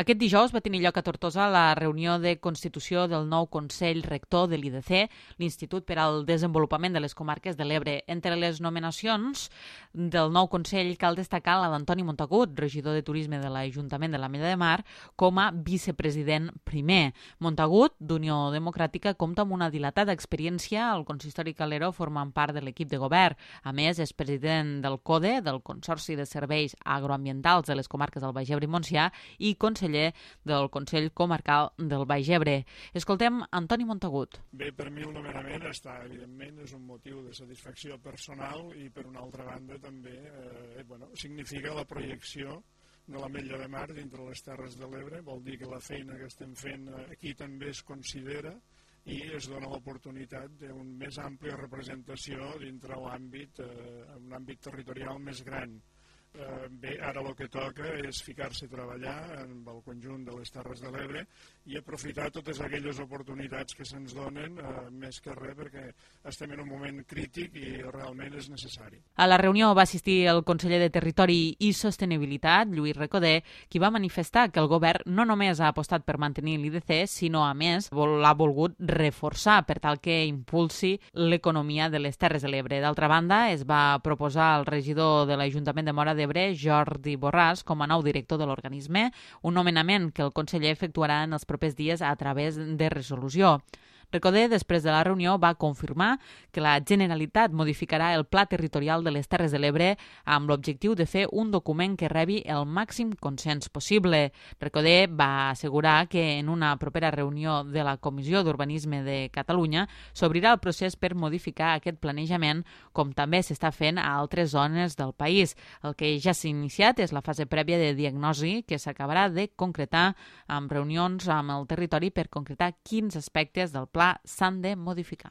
Aquest dijous va tenir lloc a Tortosa la reunió de constitució del nou Consell Rector de l'IDC, l'Institut per al Desenvolupament de les Comarques de l'Ebre. Entre les nomenacions del nou Consell cal destacar la d'Antoni Montagut, regidor de Turisme de l'Ajuntament de l'Ametlla de Mar, com a vicepresident primer. Montagut, d'Unió Democràtica, compta amb una dilatada experiència al consistori Calero formant part de l'equip de govern. A més, és president del CODE, del Consorci de Serveis Agroambientals de les Comarques del Baix Ebre i Montsià, i conseller del Consell Comarcal del Baix Ebre. Escoltem Antoni Montagut. Bé, per mi el nomenament evidentment, és un motiu de satisfacció personal i, per una altra banda, també significa la projecció de l'Ametlla de Mar dintre les Terres de l'Ebre. Vol dir que la feina que estem fent aquí també es considera i es dona l'oportunitat d'una més àmplia representació dintre l'àmbit, un àmbit territorial més gran. Bé, ara el que toca és ficar-se a treballar amb el conjunt de les Terres de l'Ebre i aprofitar totes aquelles oportunitats que se'ns donen, més que res perquè estem en un moment crític i realment és necessari. A la reunió va assistir el conseller de Territori i Sostenibilitat, Lluís Recoder, qui va manifestar que el govern no només ha apostat per mantenir l'IDC, sinó, a més, l'ha volgut reforçar per tal que impulsi l'economia de les Terres de l'Ebre. D'altra banda, es va proposar al regidor de l'Ajuntament de Móra d'Ebre, Jordi Borràs, com a nou director de l'organisme, un nomenament que el conseller efectuarà en els propers dies a través de resolució. Recoder, després de la reunió, va confirmar que la Generalitat modificarà el Pla Territorial de les Terres de l'Ebre amb l'objectiu de fer un document que rebi el màxim consens possible. Recoder va assegurar que en una propera reunió de la Comissió d'Urbanisme de Catalunya s'obrirà el procés per modificar aquest planejament, com també s'està fent a altres zones del país. El que ja s'ha iniciat és la fase prèvia de diagnosi que s'acabarà de concretar amb reunions amb el territori per concretar quins aspectes del pla s'han de modificar.